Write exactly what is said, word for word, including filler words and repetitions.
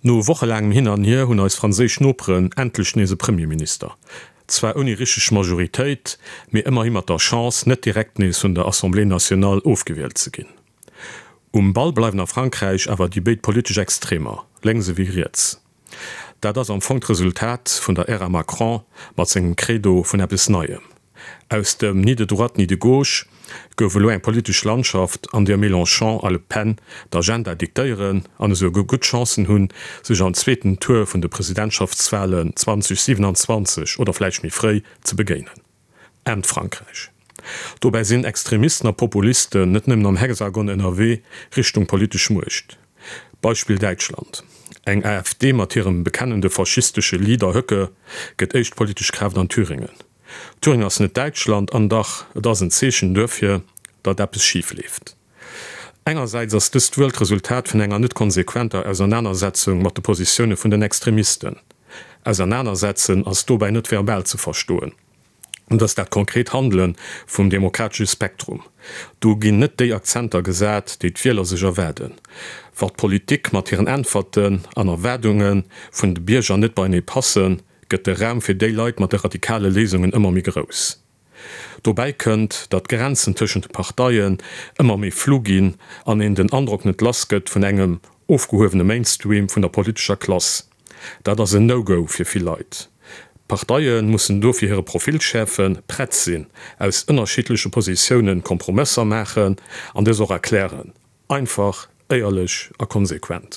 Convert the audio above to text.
No wochelaangem Hin an Hier hunn eis franséisch Noperen endlech nees e Premierminister. Zwar ouni richteg Majoritéit, mee ëmmerhi mat der Chance, net direkt nees vun der Assemblée nationale ofgewielt ze ginn. Um Ball bleiwen a Frankräich awer déi béid politesch Extremer, lénks ewéi riets. Dat ass am Fong d'Resultat vun der Ära Macron mat sengem Credo vun eppes Neiem. Aus dem ni de droite ni de gauche gouf elo eng politesch Landschaft, an där Mélenchon a Le Pen d'Agenda diktéieren an esouguer gutt Chancen hunn, sech am zweeten Tour vun de Presidentschaftswalen zweitausendsiebenundzwanzeg oder vläicht méi fréi ze begéinen. Aarmt Frankräich. Dobäi sinn Extremisten a Populisten net nëmmen am Hexagon ënnerwee Richtung politesch Muecht. Beispill Däitschland, Eng AfD mat hirem bekennende faschistesche Leader Höcke gëtt éischt politesch Kraaft an Thüringen. Thüringen ass net Däitschland, an dach, et ass en Zeechen duerfir, datt eppes schif leeft. Engersäits ass dëst wuel d'Resultat vun enger net konsequenter Ausernanersetzung mat de Positioune vun den Extremisten. Ausernanersetzen ass dobäi net verbal ze verstoen. Et ass dat konkret Handele vum demokratesche Spektrum. Do ginn net déi Akzenter gesat, déi d'Wieler sech erwaarden. Wa d'Politik mat hiren Äntwerten an Erwaardunge vun de Bierger net beienee passen, gëtt de Raum fir déi Leit mat de radikale Léisungen ëmmer méi grouss. Dobäi kënnt, datt d'Grenzen tëschent de Parteien ëmmer méi flou ginn an een den Androck net lass gëtt vun engem ofgehuewene Mainstream vun der politescher Klass. Dat ass en No-Go fir vill Leit. D'Parteie mussen dofir hire Profil schäerfen, prett sinn, aus ënnerschiddleche Positioune Kompromësser maachen an dës och erklären. Einfach, éierlech a konsequent.